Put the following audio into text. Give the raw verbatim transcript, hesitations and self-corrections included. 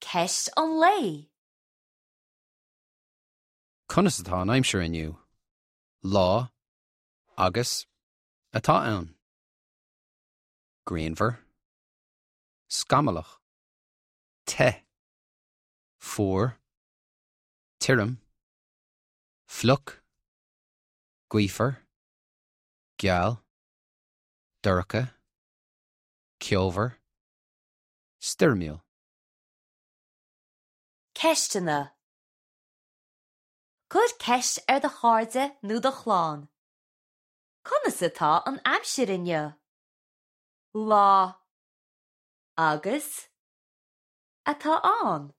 Ceist an lae. Conas atá an aimsir inniu? Lá agus atá ann. Grianmhar, Scamallach, Te, Fuar, Tirim, Fliuch, Gaofar, Geal, Dorcha, Ceomhar, Stoirmiúil. Ceisteanna. Cuir ceist ar do chairde nó do chlann. Conas atá an aimsir inniu? Lá agus atá ann.